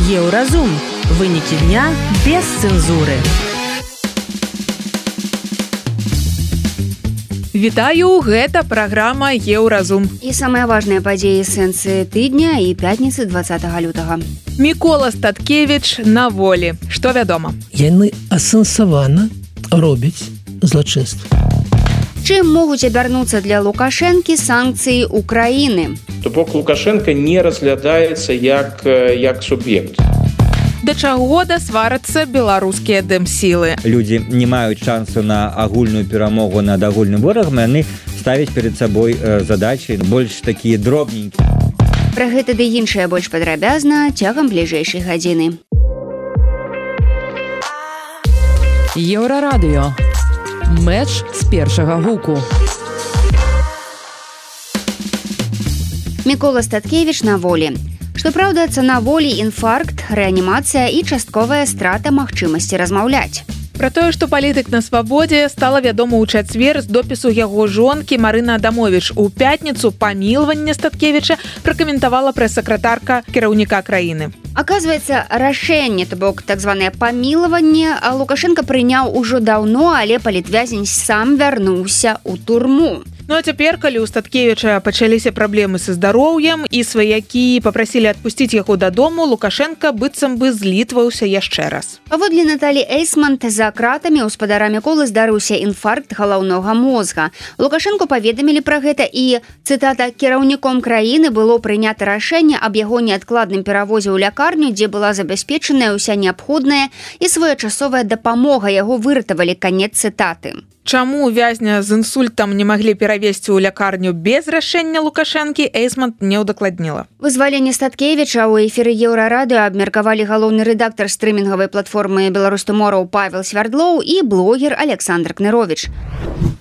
Еўразум. Вынікі дня без цэнзуры. Вітаю, гэта праграма Еўразум. І самыя важныя падзеі сэнсы тыдня і пятніцы 20 лютага. Мікола Статкевіч на волі. Што вядома? Яны асэнсавана робяць злачынства. Чым могуць абярнуцца для Лукашэнкі санкцыі Украіны? То бок Лукашенко не разглядаецца як суб'ект. Да чаго дасварацца беларускія дэмсілы? Людзі не маюць шансу на агульную перамогу над агульным ворагам, яны ставяць перад сабой задачы больш такія дробненькія. Пра гэта ды іншае больш падрабязна цягам бліжэйшай гадзіны. Еўрарадыё. Мэч з першага гуку. Мікола Статкевіч на волі. Што праўда, цана волі інфаркт, рэанімацыя і частковая страта магчымасці размаўляць. Пра тое, што палітык на свабодзе, стала вядома ў чацвер з допісу яго жонкі Марына Адамовіч. У пятніцу памілаванне Статкевіча пракаментавала прэс-сакратарка кіраўніка краіны. Аказваецца, рашэнне, то бок так званае памілаванне, Лукашенко прыняў ужо даўно, але палітвязень сам вярнуўся ў турму. Ну а цяпер, калі ў Статкевіча пачаліся праблемы са здароўем і сваякі папрасілі адпусціць яго дадому, Лукашенко быццам бы злітваўся яшчэ раз. Паводле Наталі Эйсмант, за кратамі ў спадара Міколы здарыўся інфаркт галаўнога мозга. Лукашенко паведамілі пра гэта і, цытата, кіраўніком краіны было прынята рашэнне аб яго неадкладным перавозе ў лякарню, дзе была забяспечаная ўся неабходная і своечасовая дапамога, яго выратавалі, канец цытаты. Чаму вязня з інсультам не маглі перавесці ў лякарню без рашэння Лукашэнкі, Эйсмант не ўдакладніла. Вызваленне Статкевіча ў эфіры Еўрарадыё абмеркавалі галоўны рэдактар стрымінгавай платформы «Беларус-Туморроў» Павел Свярдлоў і блогер Александр Кнырович.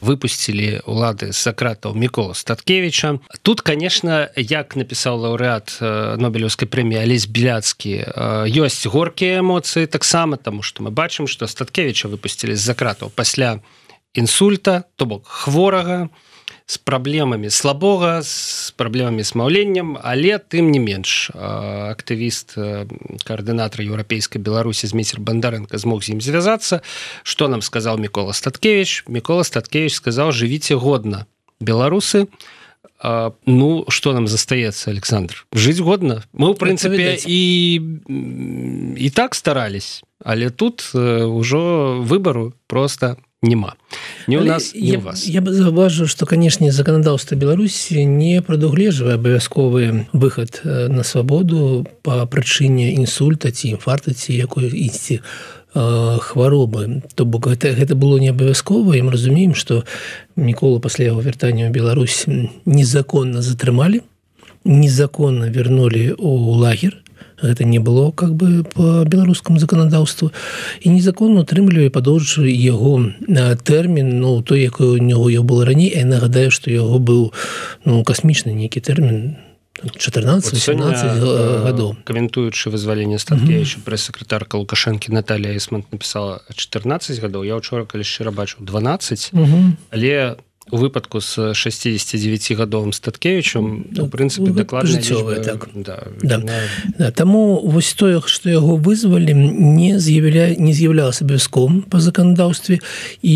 Выпусцілі ўлады з-за кратаў Мікола Статкевіча. Тут, конечно, як напісаў лаўрэат Нобелеўскай прэміі Алесь Беляцкі, ёсць горкія эмоцыі таксама, таму што мы бачым, што Статкевіча выпусцілі з-за кратаў пасля інсульта, то бок хворага, з праблемамі слабога, з праблемамі з маўленнем, але тым не менш актывіст, каардынатар еўрапейскай Беларусі Змейцер Бандарэнка змог з ім звязацца. Што нам сказаў Мікола Статкевіч? Мікола Статкевіч сказаў: жывіце годна, беларусы. Ну, што нам застаецца, Александр? Жыць годна. Мы, ў прынцыпе, і так старались, але тут ужо выбару проста нема. Не у нас, не у вас. Я бы заўважыў, што, канешне, заканадаўства Беларусі не прадугледжвае абавязковы выхад на свабоду па прычыне інсульта ці інфаркта ці якой-ісці хваробы. То бок гэта было не абавязкова, і мы разумеем, што Міколу пасля яго вяртання ў Беларусь незаконна затрымалі, незаконна вярнулі ў лагер. Гэта не было как бы по беларускаму заканадаўству, і незаконна утрымлівалі, падоўжвалі яго тэрмін, ну той, якой у него было раней. Я нагадаю, што яго быў касмічны нейкі тэрмін 14-18 гадоў. Каментуючы вызваленне Статкевіча, прэс-сакратарка Лукашэнкі Наталія Эйсмант напісала 14 гадоў. Я ўчора, калі шчыра бачыў, 12, але у выпадку з 69-гадовым Статкевічам, у прынцыпе, дакладная лічба. Так. Да. Таму вось тое, што яго вызвалі, не з'яўлялася абавязковым па заканадаўстве, і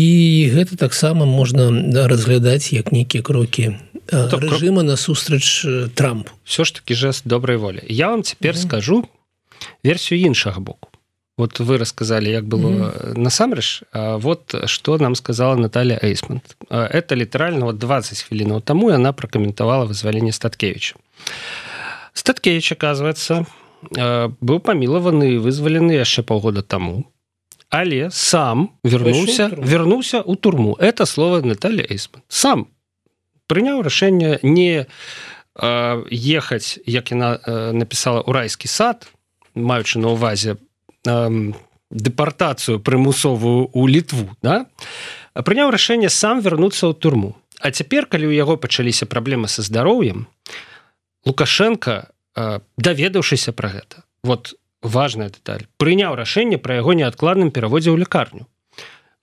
гэта таксама можна разглядаць як нейкія крокі рэжыма насустрач Трампу. Все ж таки жест добрай волі. Я вам цяпер скажу версію іншага боку. Вот вы рассказали, як было насамрэч, вот что нам сказала Наталья Эйсмант. Это літаральна 20 хвілінаў таму яна пракаментавала вызваленне Статкевіча. Статкевіч, оказывается, быў памілаваны і вызвалены яшчэ паўгода таму, але сам вярнуўся ў турму. Это слово Наталья Эйсмант. Сам прыняў рашэнне не ехаць, як яна напісала, у райскі сад, маючы на ўвазе дэпартацыю прымусовую ў Літву, да? Прыняў рашэнне сам вярнуцца ў турму. А цяпер, калі ў яго пачаліся праблемы са здароўем, Лукашенко, даведаўшыся пра гэта, вот важная дэталь, прыняў рашэнне пра яго неадкладным пераводзе ў лякарню.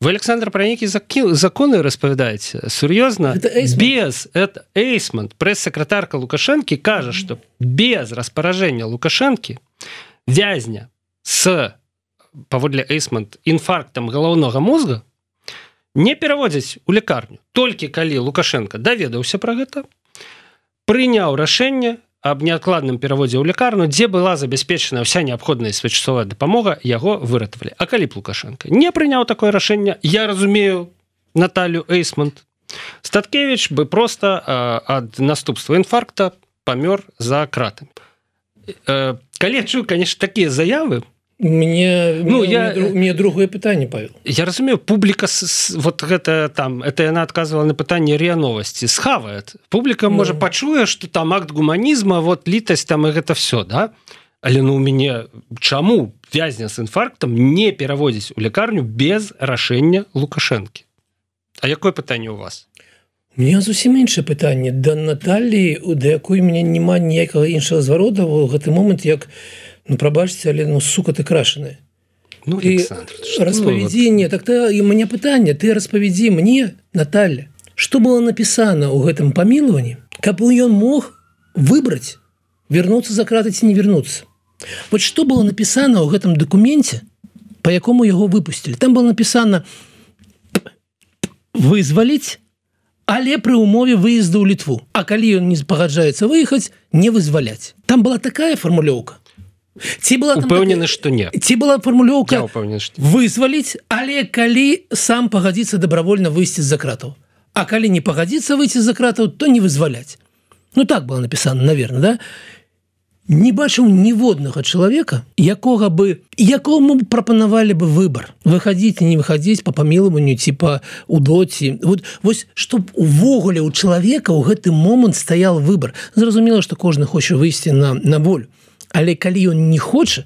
Вы, Александр, про некие законы распавядаеце? Сур'ёзна? Это Эйсмант, прэс-сакратарка Лукашэнкі, кажа, што без распаражэння Лукашэнкі вязня с, паводле Эйсмонт, інфарктам галаўнога мозга не пераводзяць у лекарню. Толькі калі Лукашенко даведаўся пра гэта, прыняў рашэнне аб неадкладным пераводзе ў лекарню, дзе была забяспечана ўся неабходная своечасовая дапамога, яго выратавалі. А калі б Лукашенко не прыняў такое рашэнне, я разумею Наталью Эйсмонт, Статкевич бы просто ад наступства інфаркта памёр за кратамі. Калі я чую, конечно, такія заявы, мне другое пытанне, Павел. Я разумею, публіка вот гэта там, это яна адказвала на пытанне РИА Новости, схавае. Публіка можа пачуе, што там акт гуманізма, вот літасць там і гэта все, да? Але у мяне чаму вязня з інфарктам не пераводзіць у лекарню без рашэння Лукашэнкі? А якое пытанне у вас? У меня зусім іншае пытанне да Натальі, да якой у мяне няма ніякага іншага зварода ў гэты момант, як прабачце, але сука ты крашаная. Александр, распавядзі не, так і у мяне пытанне, ты распавядзі мне, Наталья, што было напісана ў гэтым памілаванні, каб ён мог выбраць, вернуцца за краты ці не вернуцца. Вот што было напісана ў гэтым дакуменце, па якому яго выпусцілі. Там было напісана вызваліць, але пры ўмове выезду ў Літву. А калі ён не пагаджаецца выехаць, не вызваляць. Там была такая фармулёўка. Упэўнены, што не. Ці была фармулёўка вызваліць, але калі сам пагадзіцца добровольна выйсці з-за кратаў. А калі не пагадзіцца выйсці з-за кратаў, то не вызваляць. Так было напісана, наверное, да? Не бачыў ніводнага чалавека, якому прапанавалі бы выбор. Выхадзіць і не выхадзіць па памілаванню ці па удоці. Вось, чтоб увогуле у чалавека ў гэты момант стаял выбор. Зразумела, што кожны хоча выйсці на волю. Але калі ён не хоча,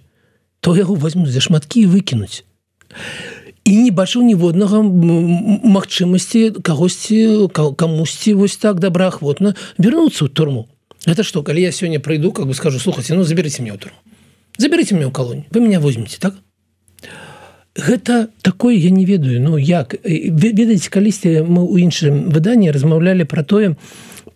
то яго возьмуць за шматкі і выкінуць. І не бачыў ніводнага магчымасці камусьці вось так добраахвотна вернуцца ў турму. Это что, калі я сёння прыйду, скажу, слухайте, заберите меня в турму. Заберите меня в колонию. Вы меня возьмете, так? Гэта такое, я не ведаю, як. Ведаеце, калісьці мы ў іншым выданні размаўлялі пра тое,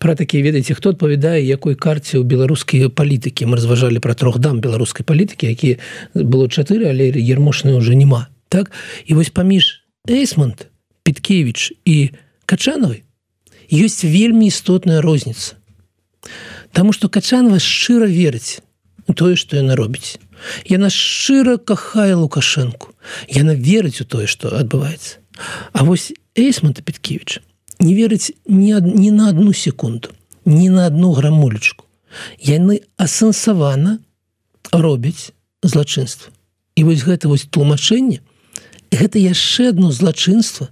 пра такія, ведаеце, хто адпавядае якой карце ў беларускай палітыкі. Мы разважалі пра 3 дам беларускай палітыкі, якія было 4, але Ермошнай уже няма. Так? І вось паміж Эйсмонт, Петкевич і Качанавай ёсць вельмі істотная розніца. Таму што Качанава шчыра верыць у тое, што яна робіць. Яна шчыра кахае Лукашэнку. Яна верыць у тое, што адбываецца. А вось Эйсмонт і Петкевич не верыць ні на одну секунду, ні на одну грамулечку. Яны асэнсавана робяць злачынства. І вось гэта тлумачэнне, гэта яшчэ одно злачынства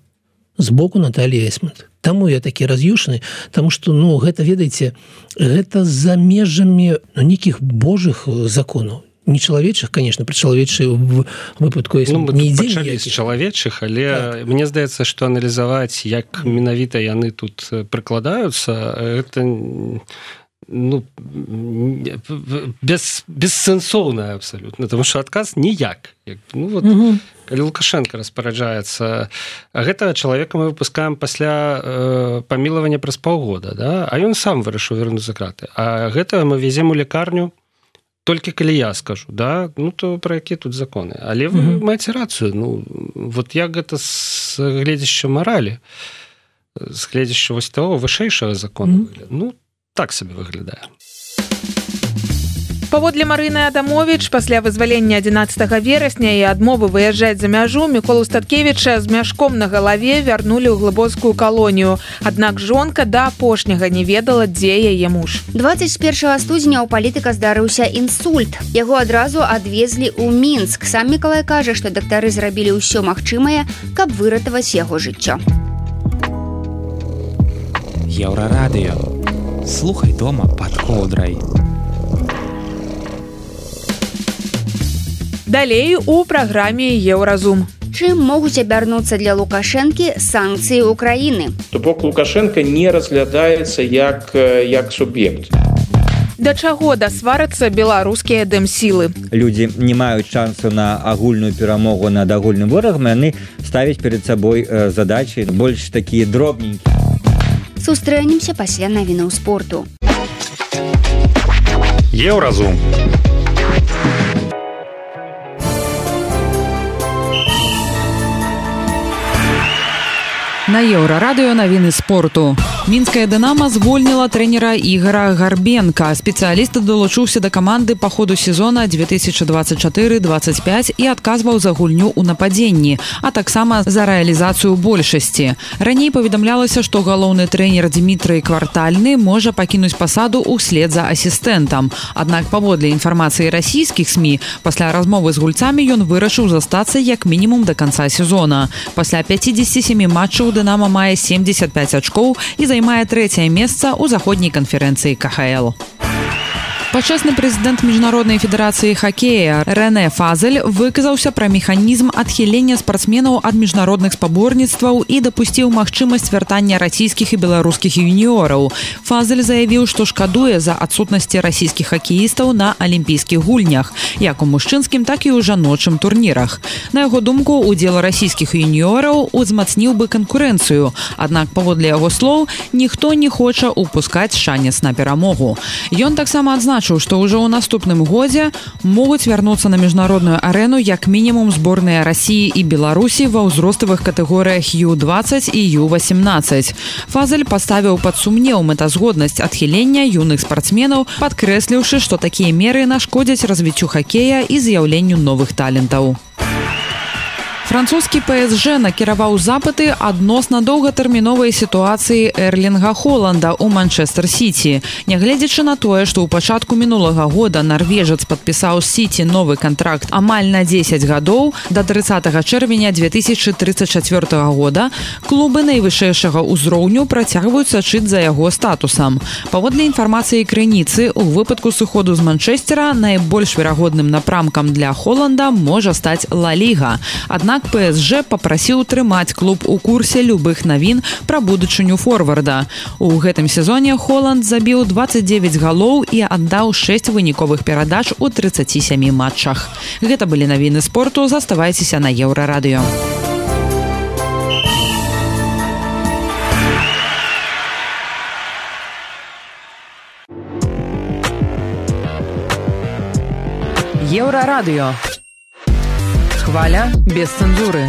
з боку Натальі Эйсмонт. Таму я такі раз'юшаны, таму што, гэта, ведаеце, гэта за межамі нейкіх божых законаў. Не чалавечых, конечно, пры чалавечай выпадку не ідзе пачалі з чалавечых, але мне здаецца, што аналізаваць, як менавіта яны тут прыкладаюцца, гэта бессэнсоўна абсалютна, тому што адказ ніяк. Калі Лукашенко распараджаецца, гэтага чалавека мы выпускаем пасля памілавання праз паўгода, да? А ён сам вырашыў вернуць за краты. А гэта мы везем у лекарню толькі калі я скажу, да? То пра якія тут законы. Але вы маеце рацыю. Вот як гэта з гледзяшча маралі, з гледзяшча вось таго вышэйшага закона выглядае. Так сабе выглядае. Паводле Марыны Адамович, пасля вызвалення 11 верасня і адмовы выязджаць за мяжу, Міколу Статкевіча з мяшком на галаве вярнулі ў глыбоцкую калонію. Аднак жонка да апошняга не ведала, дзе яе муж. 21 студзеня ў палітыка здарыўся інсульт. Яго адразу адвезлі ў Мінск. Сам Мікалай кажа, што дактары зрабілі ўсё магчымае, каб выратаваць яго жыццё. Еўрарадыё. Слухай дома пад коўдрай. Далей у праграме Еўразум. Чым могуць абярнуцца для Лукашэнкі санкцыі Украіны? То бок Лукашенко не разглядаецца як суб'ект. Да чаго дасварацца беларускія дэм-сілы? Людзі не маюць шансу на агульную перамогу над агульным ворагам, яны ставяць перад сабой задачы больш такія дробненькія. Сустрэнемся пасля навінаў спорту. Еўразум. На Еўрарадыё навіны спорту. Мінская «Дынама» звольніла трэнера Ігора Гарбенка. Спецыяліст далучыўся да каманды па ходу сезона 2024-25 і адказваў за гульню ў нападзенні, а таксама за рэалізацыю большасці. Раней паведамлялася, што галоўны трэнер Дмітрый Квартальны можа пакінуць пасаду ўслед за асістэнтам. Аднак паводле інфармацыі расійскіх СМІ, пасля размовы з гульцамі ён вырашыў застацца як мінімум да канца сезона. Пасля 57 матчаў «Дынама» мае 75 ачкоў і займае 3-е месца ў заходняй канферэнцыі КХЛ. Пачесны прэзідэнт Міжнароднай федэрацыі хакея Рэне Фазель выказаўся пра механізм адхілення спартсменаў ад міжнародных спаборніцтваў і дапусціў магчымасць вяртання расійскіх і беларускіх юніёраў. Фазель заявіў, што шкадуе за адсутнасці расійскіх хакеістаў на алімпійскіх гульнях, як у мужчынскім, так і ў жаночым турнірах. На яго думку, удзел расійскіх юніёраў узмацніў бы канкурэнцыю, аднак паводле яго слоў, ніхто не хоча упускаць шанец на перамогу. Ён таксама адзначыў, што ўжо ў наступным годзе могуць вярнуцца на міжнародную арэну як мінімум зборныя Расіі і Беларусі ва ўзроставых катэгорыях Ю-20 і Ю-18. Фазель паставіў пад сумнеў мэтазгоднасць адхілення юных спартсменаў, падкрэсліўшы, што такія меры нашкодзяць развіццю хакея і з'яўленню новых талентаў. Французскі ПСЖ накіраваў запыты адносна доўгатэрміновай сітуацыі Эрлінга Холанда ў Манчэстэр-Сіці. Нягледзячы на тое, што ў пачатку мінулага года нарвежац падпісаў з Сіці новы кантракт амаль на 10 гадоў, да 30 чэрвеня 2034 года клубы найвышэйшага ўзроўню працягваюць сачыць за яго статусам. Паводле інфармацыі крыніцы, у выпадку сыходу з Манчэстэра найбольш верагодным напрамкам для Холанда можа стаць Ла Ліга. Аднак ПСЖ папрасіў трымаць клуб у курсе любых навін пра будучыню форварда. У гэтым сезоне Холанд забіў 29 галоў і аддаў 6 выніковых перадач у 37 матчах. Гэта былі навіны спорту, заставайцеся на Еўрарадыё. Еўрарадыё. Хваля без цэнзуры.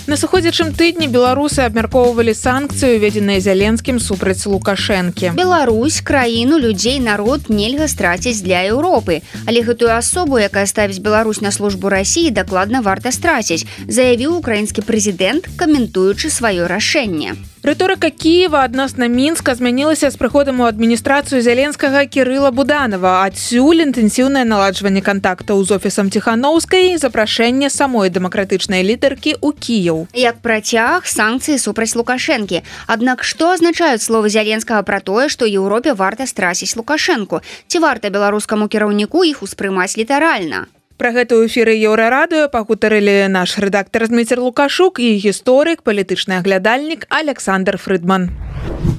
На сыходзячым тыдні беларусы абмяркоўвалі санкцыі, уведзеныя Зеленскім супраць Лукашэнкі. Беларусь, краіну, людзей, народ нельга страціць для Еўропы. Але гэтую асобу, якая ставіць Беларусь на службу Расіі, дакладна варта страціць, заявіў украінскі прэзідэнт, каментуючы сваё рашэнне. Рыторыка Кіева адносна Мінска змянілася з прыходам у адміністрацыю Зеленскага Кірыла Буданова. Адсюль інтэнсіўнае наладжванне кантактаў з офісам Ціханаўскай і запрашэнне самой дэмакратычнай лідаркі ў Кіеў. Як працяг санкцыі супраць Лукашэнкі. Аднак што азначаюць словы Зеленскага пра тое, што Еўропе варта страціць Лукашэнку? Ці варта беларускаму кіраўніку іх успрымаць літаральна? Пра гэта ў эфіры Еўрарадыё пагутарылі наш рэдактар Зміцер Лукашук і гісторык, палітычны аглядальнік Александр Фрыдман.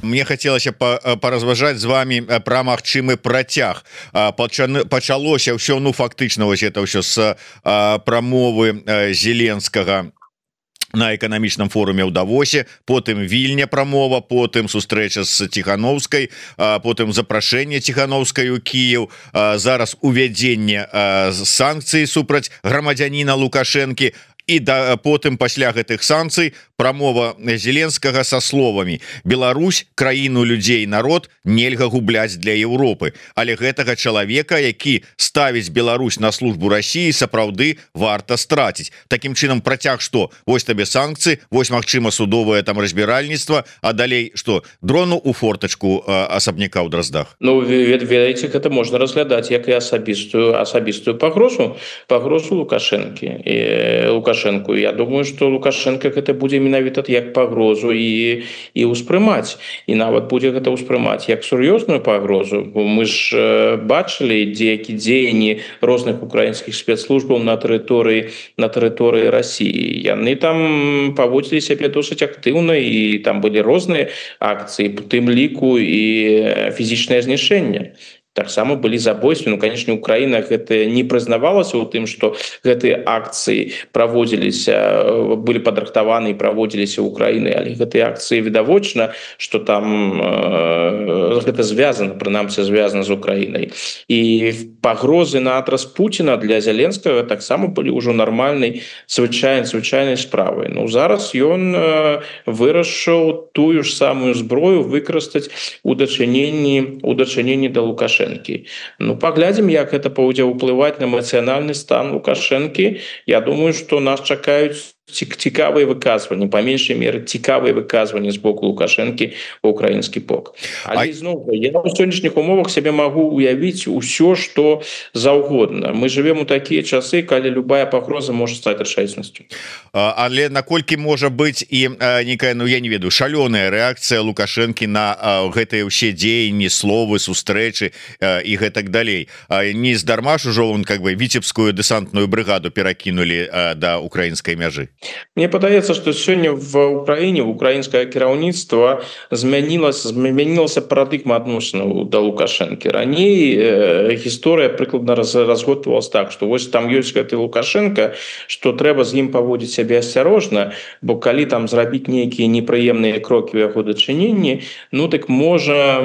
Мне хацелася паразважаць з вами пра магчымы працяг. Пачалося ўсё, фактычна вось это ўсё з прамовы Зеленскага на эканамічным форуме ў Давосе, потым Вільня прамова, потым сустрэча з Ціханаўскай, потым запрашэнне Ціханаўскай у Кіеў, зараз увядзенне санкцый супраць грамадзяніна Лукашэнкі, і потым пасля гэтых санкцый прамова Зеленскага са словамі: Беларусь, краіну, людзей, народ нельга губляць для Еўропы, але гэтага чалавека, які ставіць Беларусь на службу Расіі, сапраўды варта страціць. Такім чынам працяг што? Вось табе санкцыі, вось магчыма судовае там разбіральніцтва, а далей што? Дрону у фортачку асабняка ў Драздах. Ну, ведаеце, гэта можна разглядаць як і асабістую пагрозу Лукашэнку. Я думаю, што Лукашенко гэта будзе менавіта як пагрозу і ўспрымаць. І нават будзе гэта ўспрымаць як сур'ёзную пагрозу. Бо мы ж бачылі дзеянні розных украінскіх спецслужбаў на тэрыторыі Расіі. Яны там паводзілі сябе досыць актыўна, і там былі розныя акцыі, у тым ліку і фізічнае знішчэнне. таксама былі забойствы. Ну, конечно, Украіна гэта не прызнавалася ў тым, што гэтыя акцыі праводзіліся, былі падрыхтаваны і праводзіліся ў Украіне, але гэтыя акцыі відавочна, што там гэта звязана, прынамсі звязана з Украінай. І пагрозы на адрас Пуціна для Зеленскага таксама былі ўжо нармальнай звычайнай справай. Ну, зараз ён вырашыў тую ж самую зброю выкарыстаць у дачыненні да Лукашэнкі. Ну, паглядзім, як гэта будзе ўплываць на эмацыянальны стан Лукашэнкі. Я думаю, што нас чакаюць цікавыя выказванні, па меншай меры цікавыя выказванні з боку Лукашэнкі ў украінскі бок. Але зноў, я ў сённяшніх умовах сябе магу уявіць усё, што заўгодна. Мы жывем у такія часы, калі любая пагроза можа стаць рэчаіснасцю. Але наколькі можа быць і некая, ну я не ведаю, шалёная рэакцыя Лукашэнкі на гэтыя ўсе дзеянні, словы, сустрэчы і гэтак далей. Не здарма ж ужо он как бы віцебскую дэсантную брыгаду перакінулі да украінскай мяжы. Мне падаецца, што сёння в Украіне украінскае кіраўніцтва змянілася парадыгма адносінаў да Лукашэнкі. Раней гісторыя прыкладна разгортвалась так, што вось там ёсць гэты Лукашенко, што трэба з ім паводзіць сябе асцярожна, бо калі там зрабіць нейкія непрыемныя крокі ў яго дачыненні, ну так можа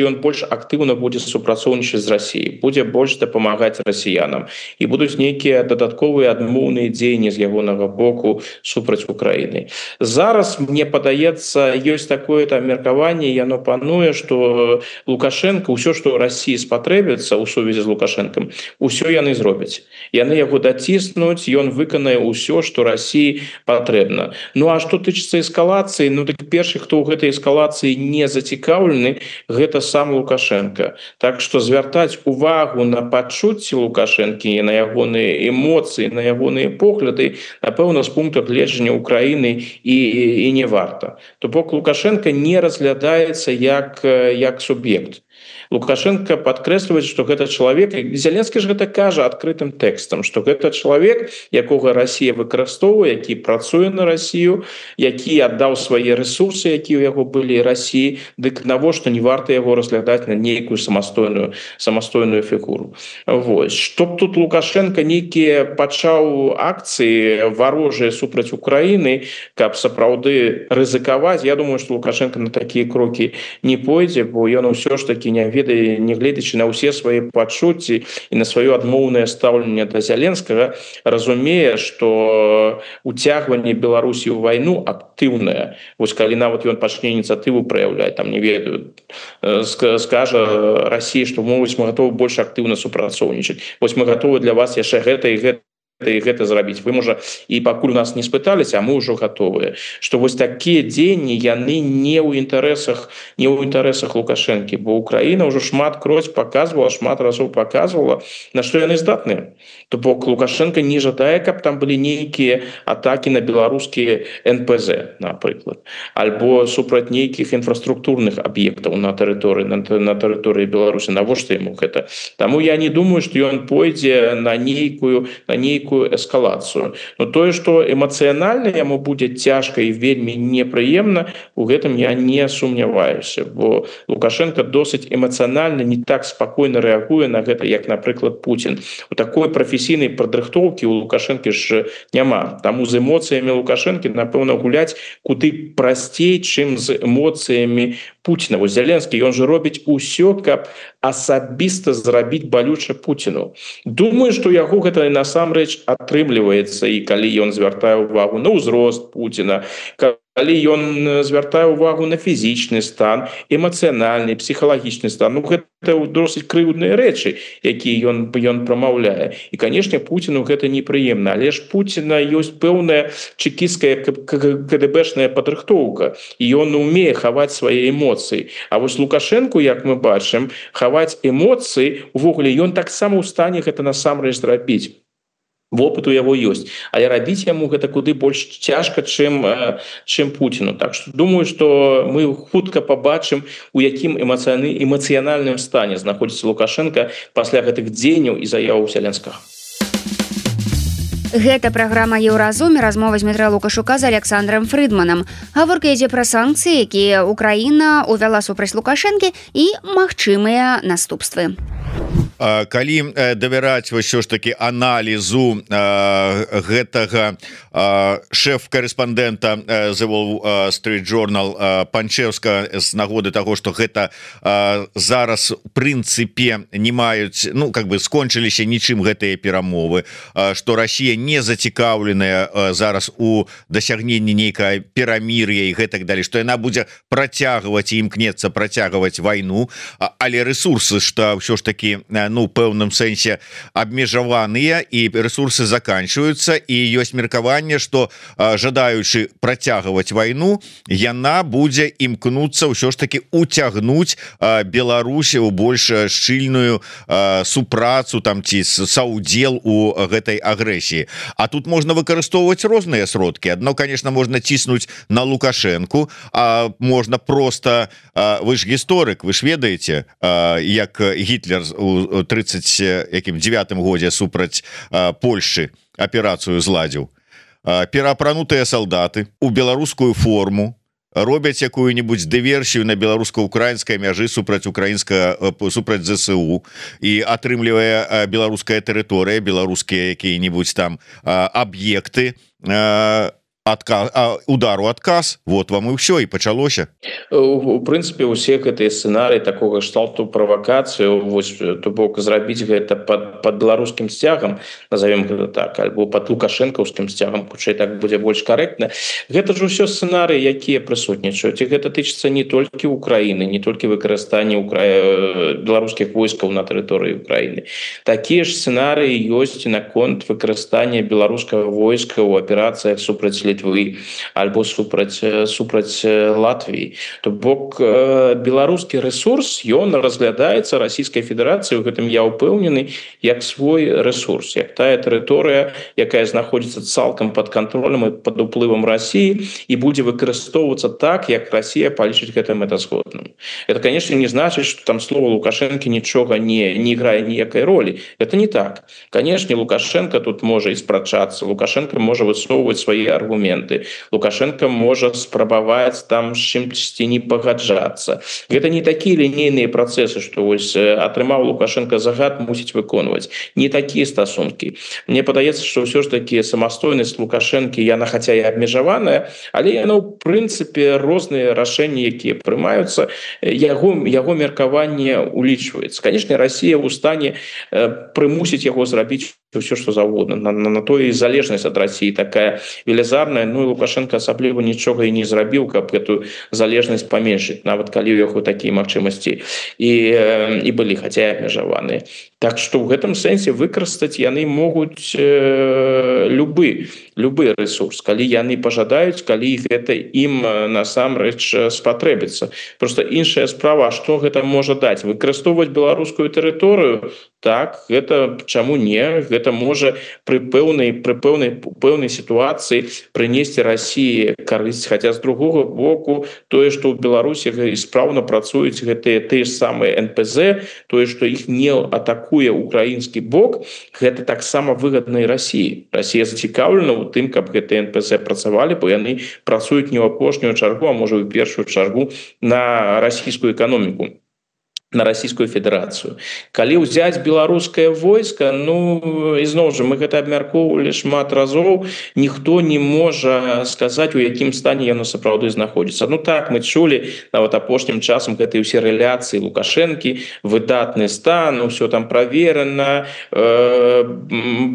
ён больш актыўна будзе супрацоўнічаць з Расіяй, будзе больш дапамагаць расіянам і будуць нейкія дадатковыя адмоўныя дзеянні з ягонага боку супраць Украіны. Зараз, мне падаецца, ёсць такое-то меркаванне, яно пануе, што Лукашенко, ўсё, што Расіі спатрэбіцца ў сувязі з Лукашэнкам, усё яны зробяць. Яны яго даціснуць, ён выканае ўсё, што Расіі патрэбна. Ну а што тычыцца эскалацыі, ну так першы, хто ў гэтай эскалацыі не зацікаўлены, гэта сам Лукашенко. Так што звяртаць увагу на пачуцці Лукашэнкі, на ягоныя эмоцыі, на ягоныя погляды, напэўна, з пункту гледжання Украіны і не варта. То бок Лукашенко не разглядаецца як суб'ект. Лукашенко падкрэслівае, што гэта чалавек, Зеленскі ж гэта кажа адкрытым тэкстам, што гэта чалавек, якога Расія выкарыстоўвае, які працуе на Расію, які аддаў свае рэсурсы, якія ў яго былі Расіі, дык навошта не варта яго разглядаць на нейкую самастойную фігуру. Вось. Што б тут Лукашенко нейкія пачаў акцыі варожыя супраць Украіны, каб сапраўды рызыкаваць, я думаю, што Лукашенко на такія крокі не пойдзе, бо ён усё ж такі не гледзячы на ўсе свае пачуцці і на сваё адмоўнае стаўленне да Зеленскага, разумее, што уцягванне Беларусі ў вайну актыўнае. Вось калі нават ён пачне ініцыятыву праяўляць, там не ведаю, скажа Расіі, што мы гатовы больш актыўна супрацоўнічаць. Вось мы гатовы для вас яшчэ гэта і гэта зрабіць. Вы, можа, і пакуль нас не спыталіся, а мы ўжо гатовыя. Што вось такія дзеянні, яны не ў інтарэсах Лукашэнкі, бо Украіна ўжо шмат разоў паказвала, на што яны здатныя. То бок Лукашенко не жадае, каб там былі нейкія атакі на беларускія НПЗ, напрыклад, альбо супраць нейкіх інфраструктурных аб'ектаў на тэрыторыі Беларусі. Навошта яму гэта? Таму я не думаю, што ён пойдзе на нейкую эскалацыю. Но тое, што эмацыянальна яму будзе цяжка і вельмі непрыемна, у гэтым я не сумняваюся, бо Лукашенко досыць эмацыянальна не так спакойна рэагуе на гэта, як, напрыклад, Пуцін. У такой прафесійнай падрыхтоўкі у Лукашэнкі ж няма. Таму з эмоцыямі Лукашэнкі, напэўна, гуляць куды прасцей, чым з эмоцыямі Пуціна. Вось Зеленскі, ён жа робіць усё, каб асабіста зрабіць балюча Пуціну. Думаю, што яго гэта насамрэч атрымліваецца, і калі ён звяртае ўвагу на ўзрост Пуціна, калі ён звяртае ўвагу на фізічны стан, эмацыянальны, псіхалагічны стан. Ну, гэта досыць крыўдныя рэчы, якія ён прамаўляе. І, канешне, Пуціну гэта непрыемна, але ж Пуціна ёсць пэўная чекісцкая КДБшная падрыхтоўка, і ён умее хаваць свае эмоцыі. А вось Лукашенку, як мы бачым, хаваць эмоцыі, увогуле, ён таксама ў стане гэта насамрэч зрабіць. Вопыт у яго ёсць, але рабіць яму гэта куды больш цяжка, чым Пуціну. Так што думаю, што мы хутка пабачым, у якім эмацыянальным стане знаходзіцца Лукашенко пасля гэтых дзеянняў і заяў Зеленскага. Гэта праграма Еўразум, размова з Дмітром Лукашука з Александром Фрыдманам. Гаворка ідзе пра санкцыі, якія Украіна увяла супраць Лукашэнкі і магчымыя наступствы. Калі давяраць ўсё ж таки аналізу гэтага шэф-карэспандэнта The Wall Street Journal Панчеўска з нагоды таго, што гэта зараз у прынцыпе не маюць, ну как бы скончыліся нічым гэтыя перамовы, што Расія не зацікаўленая зараз у дасягненні нейкае перамір'я і гэтак далей, што яна будзе працягваць і імкнецца працягваць вайну, але рэсурсы, што ўсё ж таки ну пэўным сэнсе абмежаваныя і рэсурсы заканчваюцца, і ёсць меркаванне, што жадаючы працягваць вайну, яна будзе імкнуцца ўсё ж таки уцягнуць Беларусь у больш шчыльную супрацу там ці саўдзел у гэтай агрэсіі. А тут можна выкарыстоўваць розныя сродкі. Адно, конечно, можна ціснуць на Лукашэнку, а можна просто, вы ж гісторык, вы ж ведаеце, як Гітлер у 39 годзе супраць Польшчы аперацыю зладзіў. Пераапранутыя салдаты у беларускую форму робяць якую-нибудь дыверсію на беларуска-украінскай мяжы супраць ЗСУ і атрымлівае беларуская тэрыторыя, беларускія якія-нибудь там аб'екты, удару адказ, вот вам і ўсё, і пачалося. У прынцыпе, усе гэтыя сцэнарыі такога кшталту правакацыю, вось, то бок зрабіць гэта пад беларускім сцягам, назовем гэта так, альбо пад лукашэнкаўскім сцягам, хутчэй так будзе больш карэктна. Гэта ж усё сцэнарыі, якія прысутнічаюць, і гэта тычыцца не толькі Украіны, не толькі выкарыстанне беларускіх войскаў на тэрыторыі Украіны. Такія ж сцэнарыі ёсць наконт выкарыстання беларускага войска ў аперацыях супраць Літвы альбо супраць Латвіі. То бок беларускі рэсурс, ён разглядаецца Расійскай Федэрацыяй, у гэтым я ўпэўнены, як свой рэсурс, як тая тэрыторыя, якая знаходзіцца цалкам пад кантролем і пад уплывам Расіі і будзе выкарыстоўвацца так, як Расія палічыць гэта мэтазгодным. Это, конечно, не значыць, што там слова Лукашэнкі нічога не іграе ніякай ролі. Это не так. Конечно, Лукашенко тут можа і спрачацца, Лукашенко можа высоўваць свае аргументы, Лукашенко можа спрабаваць там з чымсьці не пагаджацца. Гэта не такія лінейныя працэсы, што вось атрымаў Лукашенко загад, мусіць выконваць. Не такія стасункі. Мне падаецца, што ўсё ж такі самастойнасць Лукашэнкі, яна хаця і абмежаваная, але яна ў прынцыпе розныя рашэнні, якія прымаюцца, яго меркаванне улічваецца. Канешне, Расія ў стане прымусіць яго зрабіць все, что заводно. На то і залежнасць ад Расіі такая велізарная. Ну і Лукашенко асабліва нічога і не зрабіў, каб эту залежнасць паменшыць, нават калі ў яго такія магчымасці і былі, хаця і абмежаваныя. Так што ў гэтым сэнсе выкарыстаць яны могуць любы рэсурс, калі яны пажадаюць, калі гэта ім насамрэч спатрэбіцца. Просто іншая справа, што гэта можа даць? Выкарыстоўваць беларускую тэрыторыю? Так, гэта чаму не? Гэта можа пры пэўнай сітуацыі прынесці Расіі карысць, хаця з другога боку тое, што ў Беларусі спраўна працуюць гэтыя тыя ж самыя НПЗ, тое, што іх не атакуе украінскі бок, гэта таксама выгадна і Расіі. Расія зацікаўлена ў тым, каб гэтыя НПЗ працавалі, бо яны працуюць не ў апошнюю чаргу, а можа ў першую чаргу на расійскую эканоміку, на Расійскую Федэрацыю. Калі ўзяць беларускае войска, ну, ізноў жа, мы гэта абмяркоўвалі шмат разоў, ніхто не можа сказаць, у якім стане яно сапраўды знаходзіцца. Ну так, мы чулі, нават апошнім часам гэтыя ўсе рэляцыі Лукашэнкі, выдатны стан, ўсё там праверана,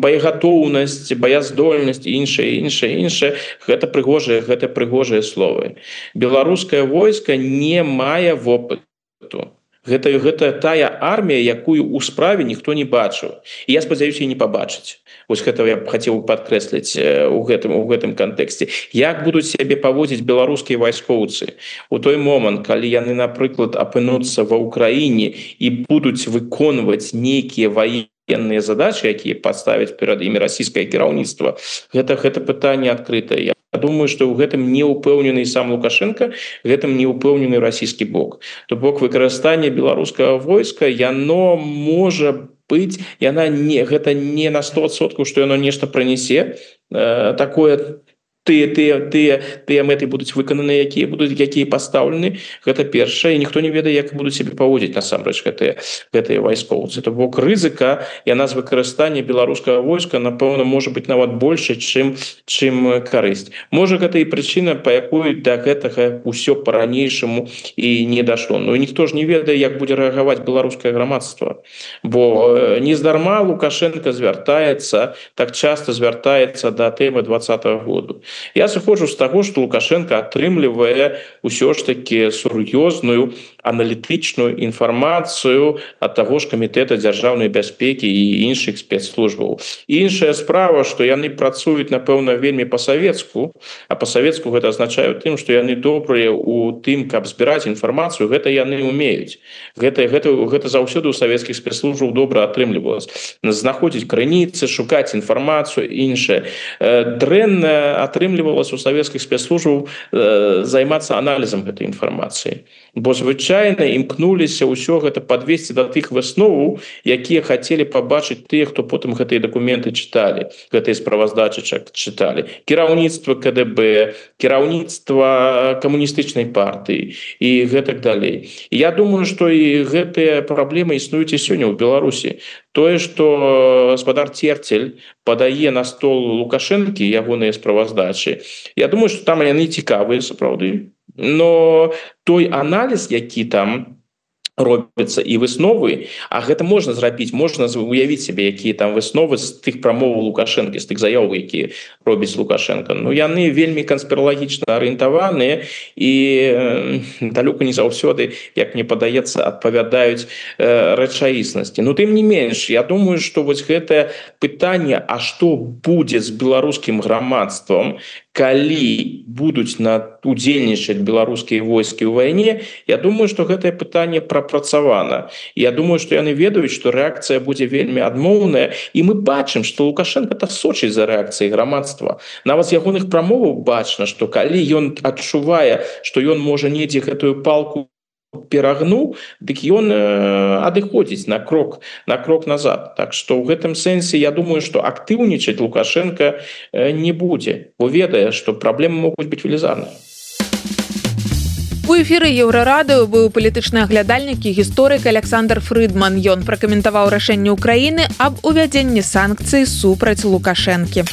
боегатоўнасць, баяздольнасць і іншае. Гэта прыгожыя словы. Беларускае войска не мае вопыту. Гэта тая армія, якую ў справе ніхто не бачыў. І я спадзяюся, і не пабачыць. Вось гэта я б хацеў падкрэсліць у гэтым кантэксце. Як будуць сябе паводзіць беларускія вайскоўцы у той момант, калі яны, напрыклад, апынуцца ва ўкраіне і будуць выконваць нейкія военныя задачы, якія паставяць перад імі расійскае кіраўніцтва, гэта пытанне адкрытае. Я думаю, што ў гэтым не ўпэўнены сам Лукашенко, гэтым не ўпэўнены расійскі бок. То бок выкарыстанне беларускага войска, яно можа быць гэта не на 100%, што яно нешта прынясе такое тыя мэты будуць выкананы, якія пастаўлены, гэта першае, і ніхто не ведае, як будуць себе паводзіць насамрэч гэтыя вайскоўцы. То бок рызыка яна з выкарыстання беларускага войска, напэўна, можа быць нават больше, чым карысць. Можа, гэта і прычына, па якой да гэтага ўсё па-ранейшаму і не дашло. Ну і ніхто ж не ведае, як будзе рэагаваць беларускае грамадства. Бо нездарма Лукашенко так часта звяртаецца да тэмы 2020 году. Я сыходжу з таго, што Лукашенко атрымлівае ўсё ж такі сур'ёзную аналітычную інфармацыю ад таго ж камітэта дзяржаўнай бяспекі і іншых спецслужбаў. Іншая справа, што яны працуюць, напэўна, вельмі па-савецку, а па-савецку гэта азначае тым, што яны добрыя ў тым, каб збіраць інфармацыю, гэта яны умеюць. Гэта заўсёды ў савецкіх спецслужбаў добра атрымлівалася. Знаходзіць крыніцы, шукаць інфармацыю, іншае. Дрэнна атрымлівалася у савецкіх спецслужбаў займацца аналізам гэтай інфармацыі. Бо звычайна імкнуліся ўсё гэта падвесці да тых высноваў, якія хацелі пабачыць тыя, хто потым гэтыя дакументы чыталі, гэтыя справаздачы чыталі. Кіраўніцтва КДБ, кіраўніцтва камуністычнай партыі і гэтак далей. Я думаю, што і гэтыя праблемы існуюць і сёння ў Беларусі. Тое, што гаспадар Церцель падае на стол Лукашэнкі ягоныя справаздачы, я думаю, што там яны цікавыя сапраўды. Но той аналіз, які там робіцца і высновы, а гэта можна зрабіць, можна уявіць себе, якія там высновы з тых прамоваў Лукашэнкі, з тых заяў, якія робіць Лукашенко. Ну, яны вельмі канспіралагічна арыентаваныя і далёка не заўсёды, як мне падаецца, адпавядаюць рэчаіснасці. Ну, тым не менш, я думаю, што вось гэтае пытанне, а што будзе з беларускім грамадствам, калі будуць удзельнічаць беларускія войскі ў вайне, я думаю, што гэтае пытанне прапрацавана. Я думаю, што яны ведаюць, што рэакцыя будзе вельмі адмоўная, і мы бачым, што Лукашенко сочыць за рэакцыяй грамадства. Нават з ягоных прамоваў бачна, што калі ён адчувае, што ён можа недзе гэтую палку перагнуў, дык ён адыходзіць на крок назад. Так што ў гэтым сэнсе я думаю, што актыўнічаць Лукашенко не будзе, бо ведае, што праблемы могуць быць велізарныя. У эфіры Еўрарадыё быў палітычны аглядальнік і гісторык Александр Фрыдман. Ён пракаментаваў рашэнне Украіны аб увядзенні санкцый супраць Лукашэнкі.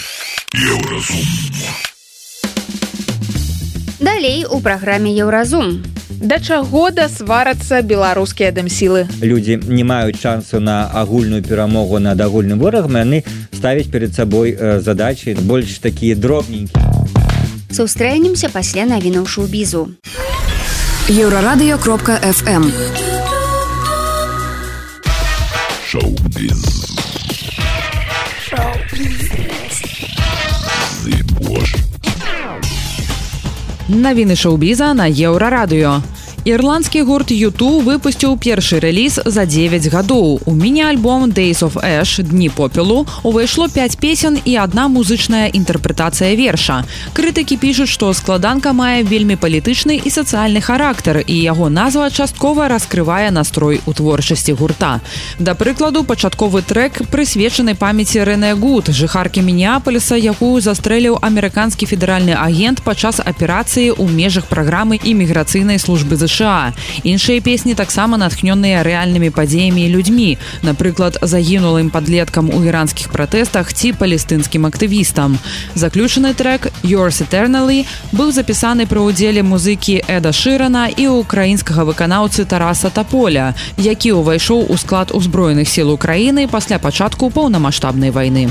Далей у праграме Еўразум. Да чаго дасварацца беларускія дэмсілы? Людзі не маюць шансу на агульную перамогу над агульным ворагам, яны ставяць перад сабой задачы больш такія дробненькія. Сустрэнемся пасля навінаў шоу-бізу. Еўрарадыё.фм Шоу-біз. Навіны шоу-біза на Еўрарадыё. Ірландскі гурт U2 выпусціў першы рэліз за 9 гадоў. У міні-альбом Days of Ash «Дні попелу» увайшло 5 песен і адна музычная інтэрпрэтацыя верша. Крытыкі пішуць, што складанка мае вельмі палітычны і сацыяльны характар, і яго назва часткова раскрывае настрой у творчасці гурта. Да прыкладу, пачатковы трэк прысвечаны памяці Рэне Гуд, жыхаркі Мінеапаліса, якую застрэліў амерыканскі федэральны агент падчас аперацыі ў межах праграмы іміграцыйнай службы США. Іншыя песні таксама натхнёныя рэальнымі падзеямі і людзьмі, напрыклад, загінулым падлеткам у іранскіх пратэстах ці палестынскім актывістам. Заключаны трэк «Yours Eternally» быў запісаны пры ўдзеле музыкі Эда Шырана і украінскага выканаўцы Тараса Таполя, які ўвайшоў у склад узброеных сіл Украіны пасля пачатку паўнамаштабнай вайны.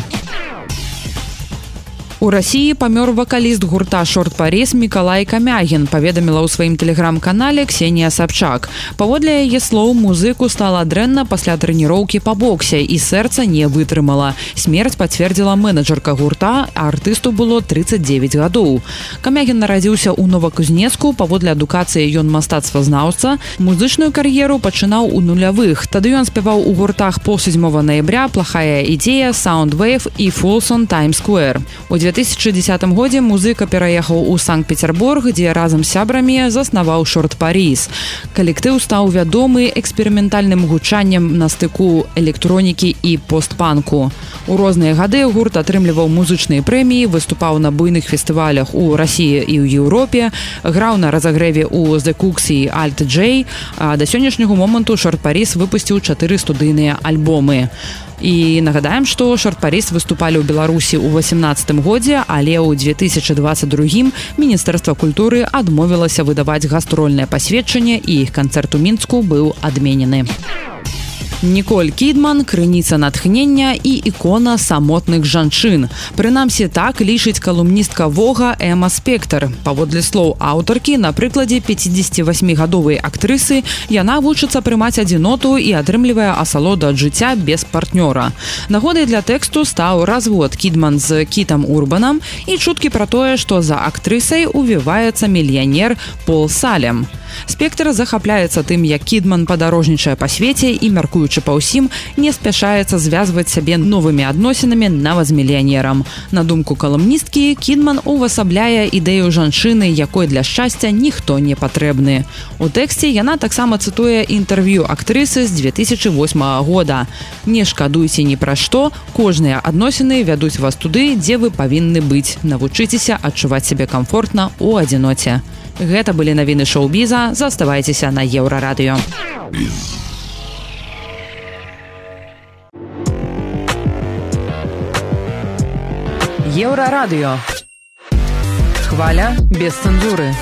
У Расіі памёр вакаліст гурта «Шорт Парис» Мікалай Камягін, паведаміла ў сваім тэлеграм-канале Ксенія Сабчак. Паводле яе слоў, музыку стала дрэнна пасля трэніроўкі па боксе і сэрца не вытрымала. Смерць пацвердзіла менеджерка гурта, а артысту было 39 гадоў. Камягін нарадзіўся ў Новакузнецку, паводле адукацыі ён мастацтвазнаўца. Музычную кар'еру пачынаў у нулявых. Тады ён спяваў у гуртах «Пол 7 ноября», «Плохая ідзея», «Soundwave» і «Folsom Times Square». У 2010 годзе музыка пераехаў у Санкт-Петербург, дзе разам з сябрамі заснаваў Short Paris. Калектыў стаў вядомы эксперыментальным гучаннем на стыку электронікі і постпанку. У розныя гады гурт атрымліваў музычныя прэміі, выступаў на буйных фестывалях у Расіі і ў Еўропе, граў на разагрэве ў The Cooks і Alt J, а да сённяшняга моманту Short Paris выпусціў 4 студыйныя альбомы. І нагадаем, што Short Paris выступалі ў Беларусі ў 2018 годзе, але ў 2022 Міністэрства культуры адмовілася выдаваць гастрольнае пасведчанне, і іх канцэрт у Мінску быў адменены. Ніколь Кідман – крыніца натхнення і ікона самотных жанчын. Прынамсі, так лічыць калумністка Вога Эма Спектр. Паводле слоў аўтаркі, на прыкладзе 58-гадовай актрысы яна вучыцца прымаць адзіноту і атрымлівае асалоду ад жыцця без партнёра. Нагодай для тэксту стаў развод Кідман з Кітам Урбанам і чуткі пра тое, што за актрысай увіваецца мільянер Пол Салем. Спектр захапляецца тым, як Кідман падарожнічае па свеце і, мяркуючы па ўсім, не спяшаецца звязваць сябе новымі адносінамі нават з мільянерам. На думку калумністкі, Кідман увасабляе ідэю жанчыны, якой для шчасця ніхто не патрэбны. У тэксце яна таксама цытуе інтэрв'ю актрысы з 2008 года. «Не шкадуйце ні пра што, кожныя адносіны вядуць вас туды, дзе вы павінны быць. Навучыцеся адчуваць сябе камфортна ў адзіноце». Гэта былі навіны шоу-біза. Заставайцеся на Еўрарадыё. Еўрарадыё. Хваля без цэнзуры.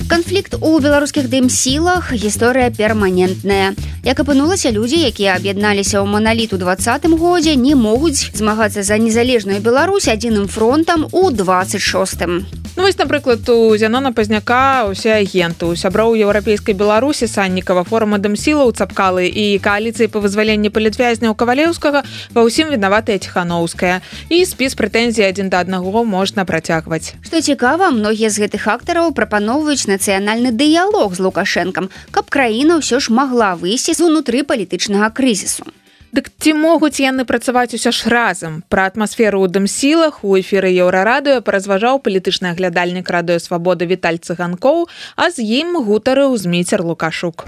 Канфлікт у беларускіх дым-сілах – гісторыя перманентная. Як апынулася, людзі, якія аб'ядналіся ў маналіт у 2020 годзе, не могуць змагацца за незалежную Беларусь адзіным фронтам у 26-м. Ну, вось, напрыклад, у Зянона Пазняка усе агенты, у сяброў еўрапейскай Беларусі Саннікава, форума дым-сілаў Цапкалы і кааліцыі па вызваленні палітвязняў Кавалеўскага ва ўсім вінаватая Ціханаўская. І спіс прэтэнзій адзін да аднаго можна працягваць. Што цікава, многія з гэтых актараў прапаноўваюць нацыянальны дыялог з Лукашэнкам, каб краіна ўсё ж магла выйсці з унутры палітычнага крызісу. Дык ці могуць яны працаваць усё ж разам? Пра атмасферу ў дым-сілах у эфіры Еўрарадыё паразважаў палітычны аглядальнік Радыё Свабода Віталь Цыганкоў, а з ім гутарыў Зміцер Лукашук.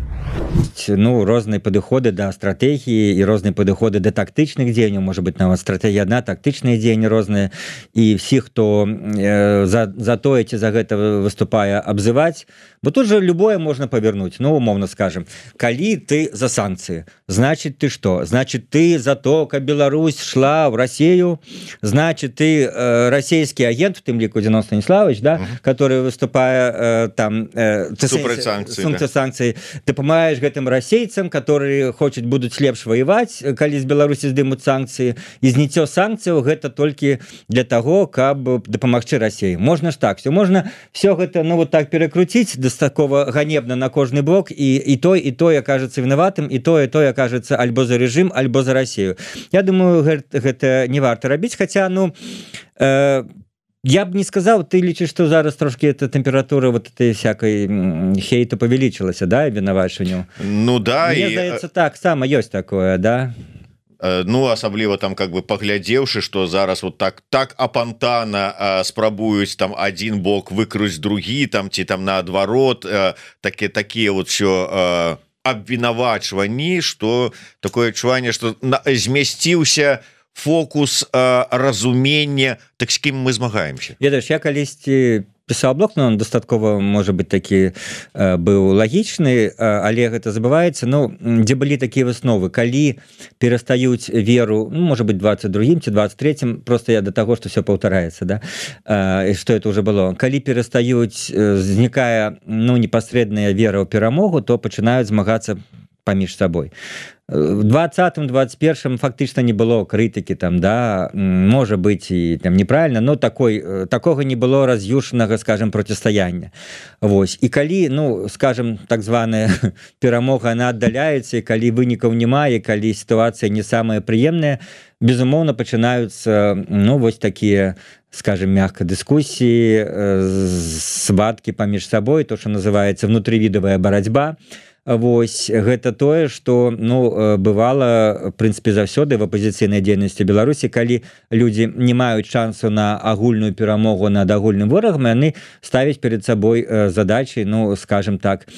Ну, розныя падыходы да стратэгіі і розныя падыходы да тактычных дзеянняў, можа быць, нават стратэгія адна, тактычныя дзеянні розныя, і всіх, хто за тое ці за гэта выступае, абзываць, бо тут же любое можна павернуць, ну, умоўна скажем. Калі ты за санкцыі, значит, ты што? Значит, ты за то, каб Беларусь шла в Россию, значит, ты российский агент, в тем лику Зенон Станиславович, да, который выступая там супраць санкций, ты помогаешь гэтым расейцам, которые хочуць будуць лепш воевать, калі з Беларусі здымуць санкцыі, і зніццё санкцыяў гэта толькі для того, каб дапамагчы России. Можно ж так, все можно все гэта, ну, вот так перекрутить до такого ганебна на кожны бок, и то окажется виноватым, и то окажется альбо за режим, альбо за Россию. Я думаю, гэта не варта рабіць, хотя, ну, я б не сказал, ты лічыш, что зараз трошки эта температура вот этой всякой хейту павялічылася, да, вінавачанню? Ну да, мне здаецца, так само ёсць такое, да. Ну, асабліва там, как бы паглядзеўшы, что зараз вот так апантана спрабуюць там один бок выкруць другі, там ці там наадварот, такія вот все абвінавачванні, что такое адчуванне, что змясціўся фокус разумення, так з кім мы змагаемся. Ведаеш, я калісьці пісаў блог, но он дастаткова, можа быць, такі быў лагічны, але гэта забываецца, ну, дзе былі такія высновы, калі перастаюць веру, ну, можа быць, 22-м ці 23-м, просто я до таго, што все паўтараецца, да, і што это уже было. Калі перастаюць, знікае, ну, непасрэдная вера ў перамогу, то пачынаюць змагацца паміж сабой. В 20-м, 21-м фактычна не было крытыкі там, да, можа быць і там неправільна, но такога не было раз'юшанага, скажем, процістаяння. Вось. І калі, ну, скажем, так званая перамога, она аддаляецца, і калі вынікаў няма, і калі сітуацыя не самая прыемная, безумоўна, пачынаюцца, ну, вось такія, скажем, мягка, дыскусіі, сваткі паміж сабой, то, што называецца внутрывідавая барацьба. вось гэта тое что ну бывала в прынцыпе заўсёды в апозіцыйнай дзейнасці Беларусі калі людзі не маюць шансу на агульную перамогу над агульным ворагам яны ставяць перед сабой задачи ну скажем так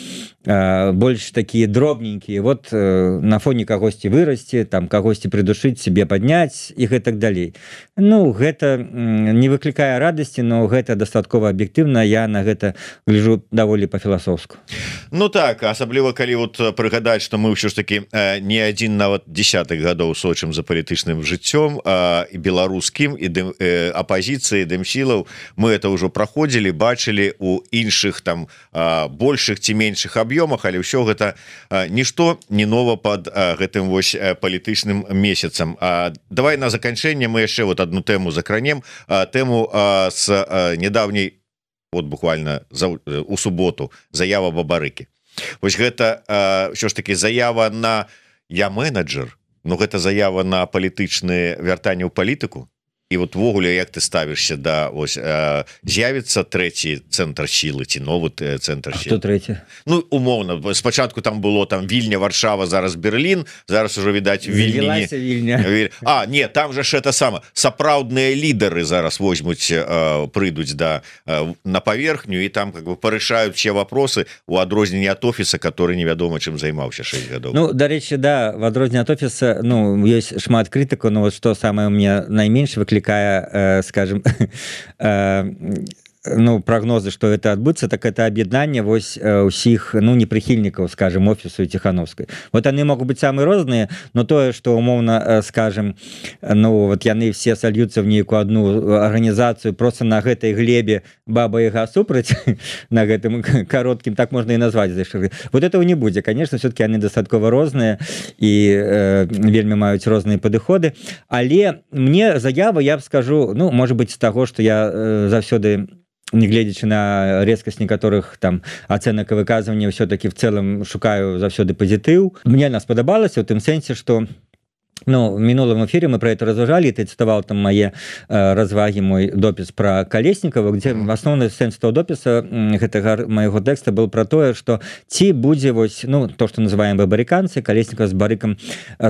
больш такія дробненькія вот на фоне кагосьці вырасці там кагосьці придушыць себе падняць і гэтак далей ну гэта не выклікае радасці но гэта дастаткова аб'ектыўна я на гэта гляжу даволі па-філасофску ну так асабліва калі вот прыгадаць что мы ўсё ж таки не адзін нават десятых гадоў сочым за палітычным жыццём і беларускім і апозіцыі дэмсілаў мы это ўжо праходзілі бачылі у іншых там большых ці меншых аб'ёмах але ўсё гэта нішто не нова под гэтым вось палітычным месяцам давай на заканчэнне мы яшчэ вот одну тэму закранем тэму с недавняй вот буквально у суботу заява Бабарыкі вось гэта ўсё ж таки заява на я менеджер но гэта заява на палітычныя вяртанні ў палітыку і вот ввогуле як ты ставішся да ось з'явіцца трэці цэнтр сілы ці новы цэнтр трэці ну умоўна спачатку там было там Вільня Варшава зараз Берлін зараз ужо відаць Вільня не там же ж это сама сапраўдныя лідары зараз возьмуць прыйдуць да на паверхню і там как бы парышаюць все вопросы у адрозненні ад офіса который невядома чым займаўся 6 гадоў ну дарэчы да в адрозненні ад офіса ну ёсць шмат крытыку но вот что самое мне найменш выклікае скажем ну прогнозы что это адбудзецца так это аб'яднанне вось усіх ну непрыхільнікаў скажем офісу Ціхановскай вот яны могуць быць самыя розныя но тое что умоўна скажем ну вот яны все сольюцца в нейкую одну арганізацыю просто на гэтай глебе баба-яга супраць на гэтым кароткім так можна і назваць вот этого не будзе конечно все-таки яны дастаткова розныя і вельмі маюць розныя падыходы але мне заява я б скажу ну может быть з таго что я заўсёды не гледзячы на резкасць некаторых там ацэнак і выказвання все-таки в цэлым шукаю заўсёды пазітыў мне она спадабалася у тым сэнсе что ну, в мінулым эфире мы про это разважалі ты цытаваў там мае развагі мой допіс про Калеснікова где асноўны сэнс того допіса гэтага майго тэкста был про тое что ці будзе вось ну то что называем бабарыканцы Калеснікова з Барыкам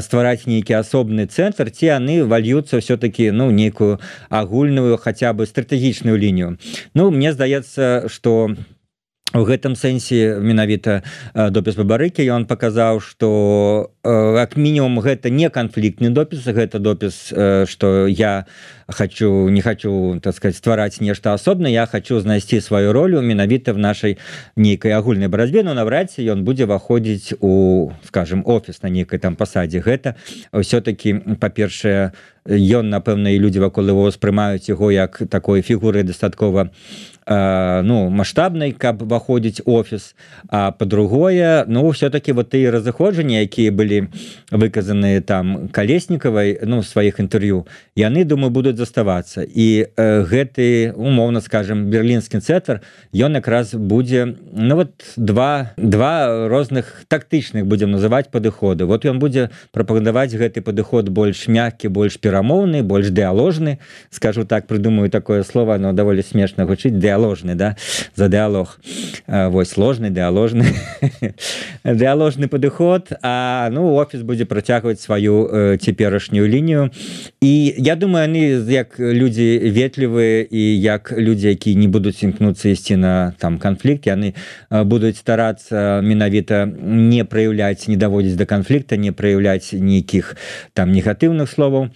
ствараць нейкі асобны цэнтр ці яны вальюцца все-таки ну нейкую агульную хотя бы стратэгічную лінію ну мне здаецца что у гэтым сэнсе менавіта допіс Бабарыкі ён паказаў што як мінімум гэта не канфліктны допіс гэта допіс што я не хочу так сказать ствараць нешта асобна я хочу знайсці сваю ролю менавіта в нашай нейкай агульнай барацьбе но наўрад ці ён будзе выходзіць у скажем офіс на нейкай там пасадзе гэта ўсё-таки па-першае ён напэўна і людзі вакол яго ўспрымаюць яго як такой фігуры дастаткова ну маштабнай каб выходзіць офіс а по-другое ну все-таки вот і разыходжанні якія былі выказаныя там Калеснікавай ну сваіх інтэрв'ю яны думаю будуць заставацца і гэты умоўна скажем берлінскі цэнтр ён якраз будзе ну вот два розных тактычных будзем называць падыходы вот ён будзе прапагандаваць гэты падыход больш мяккі больш перамоўны больш дыаложны скажу так прыдумаю такое слово но даволі смешна гучыць дыаложны да за дыалог вось сложны дыаложны дыаложны падыход а ну офіс будзе працягваць сваю цяперашнюю лінію і я думаю яны як людзі ветлівыя і як людзі якія не будуць імкнуцца ісці на там канфлікт яны будуць старацца менавіта не праяўляць не даводзіць да канфлікта не праяўляць нейкіх там негатыўных словаў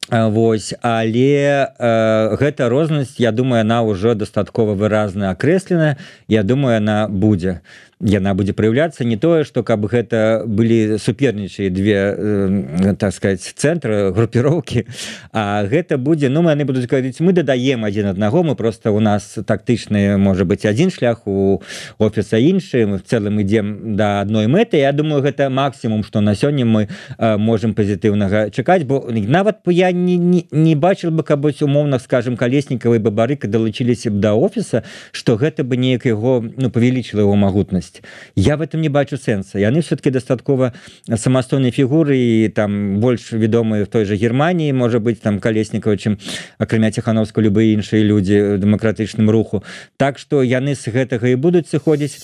вось але гэта рознасць я думаю она ўжо дастаткова выразна акрэслена я думаю она будзе праяўляцца не тое што каб гэта былі супернічыя две так сказать цэнтры групіроўкі а гэта будзе ну яны будуць говорить мы дадаем адзін аднаго мы просто у нас тактычны можа быть адзін шлях у офіса іншы мы в цэлым ідзем да адной мэты я думаю гэта максімум што на сёння мы можем пазітыўнага чакаць бо нават я не бачыў бы каб умоўна скажем Калеснікава і Бабарыка далучыліся б да офіса што гэта бы неяк яго ну павялічыла яго магутнасць я в этом не бачу сэнса яны все-таки дастаткова самастойнай фігуры і там больш вядомыя в той же Германії можа быть там Калеснікава чым акрамя Ціхановска любыя іншыя людзі дэмакратычным руху так што яны з гэтага і будуць сыходзіць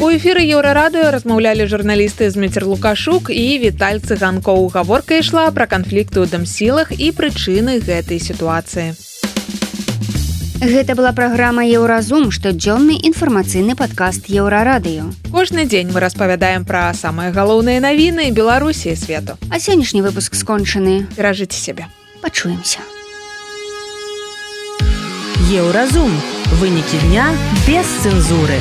У эфіры Еўрарадыё размаўлялі журналісты Зміцер Лукашук і Віталь Цыганкоў. Гаворка ішла пра канфлікты ў дамсілах і прычыны гэтай сітуацыі. Гэта была праграма «Еўразум», штодзённы інфармацыйны падкаст Еўрарадыё. Кожны дзень мы распавядаем пра самыя галоўныя навіны Беларусі і свету. А сённяшні выпуск скончаны. Беражыце сябе. Пачуемся. Еўразум. Вынікі дня без цэнзуры.